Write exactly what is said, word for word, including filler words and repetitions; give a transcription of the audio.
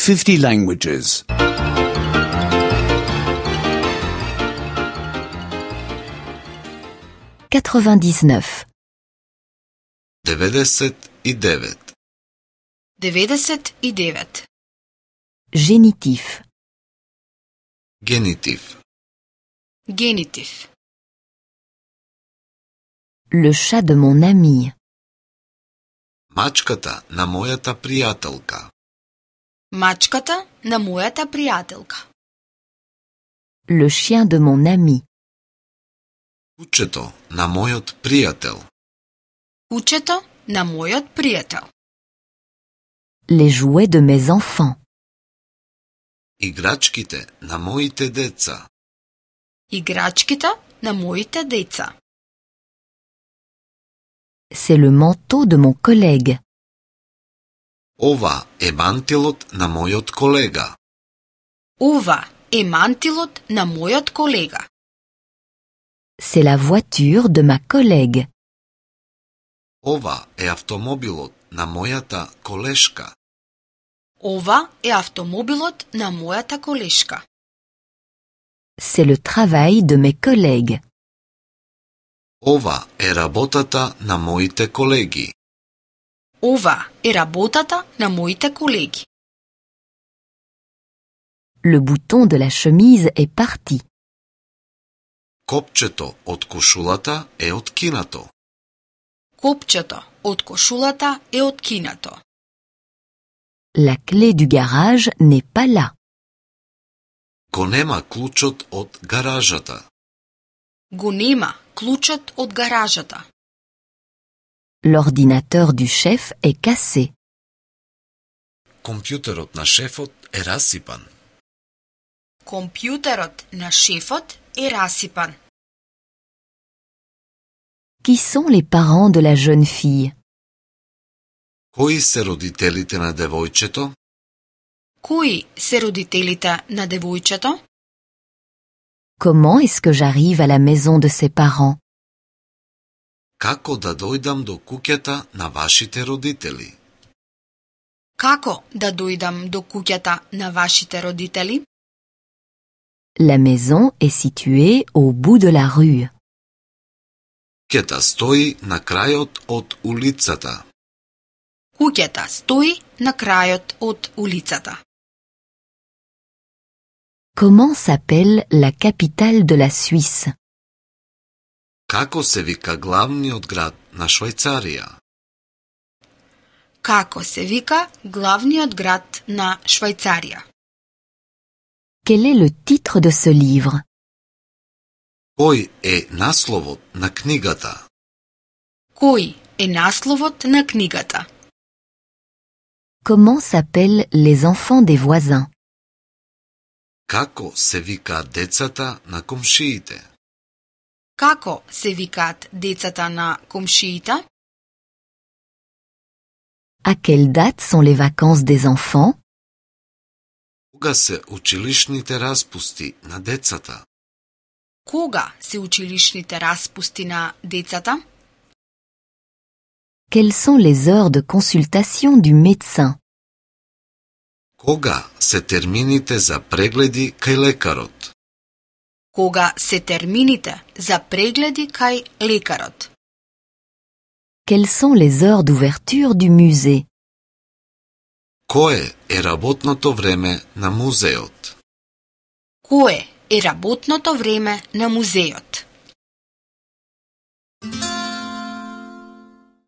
fifty languages. quatre-vingt-dix-neuf. деветдесет и девет. деветдесет и девет. Génitif. Генитив. Генитив. Le chat de mon ami. Мачката на мојата пријателка. Мачката на мојата пријателка. Le chien de mon ami. Кучето на мојот пријател. Кучето на мојот пријател. Les jouets de mes enfants. Играчките на моите деца. Играчките на моите деца. C'est le manteau de mon collègue. Ова е мантилот на мојот колега. Ова е мантилот на мојот колега. C'est la voiture de ma collègue. Ова е автомобилот на мојата колешка. Ова е автомобилот на мојата колешка. C'est le travail de mes collègues. Ова е работата на моите колеги. Ова е работата на моите колеги. Le bouton de la chemise est parti. Копчето од кошулата е откинато. Копчето од кошулата е откинато. La clé du garage n'est pas là. Го нема клучот од гаражата. Го нема клучот од гаражата. L'ordinateur du chef est cassé. Компјутерот на шефот е расипан. Компјутерот на шефот е расипан. Qui sont les parents de la jeune fille? Кои се родителите на девојчето? Кои се родителите на девојчето? Comment est-ce que j'arrive à la maison de ses parents? Како да дојдам до куќата на вашите родители? Како да дојдам до куќата на вашите родители? La maison est située au bout de la rue. Куќата стои на крајот од улицата. Куќата стои на крајот од улицата. Comment s'appelle la capitale de la Suisse? Како се вика главниот град на Швајцарија? Како се вика главниот град на Швајцарија? Quel est le titre de ce livre? Кој е насловот на книгата? Кој е насловот на книгата? Comment s'appellent les enfants des voisins? Како се вика децата на комшиите? Како се викаат децата на комшиите? À quelle date sont les vacances des enfants? Кога се училишните распусти на децата? Кога се училишните распусти на децата? Quelles sont les heures de consultation du médecin? Кога се термините за прегледи кај лекарот? Кога се термините за прегледи кај лекарот? Quelles sont les heures d'ouverture du musée? Кое е работното време на музеот? Кое е работното време на музеот?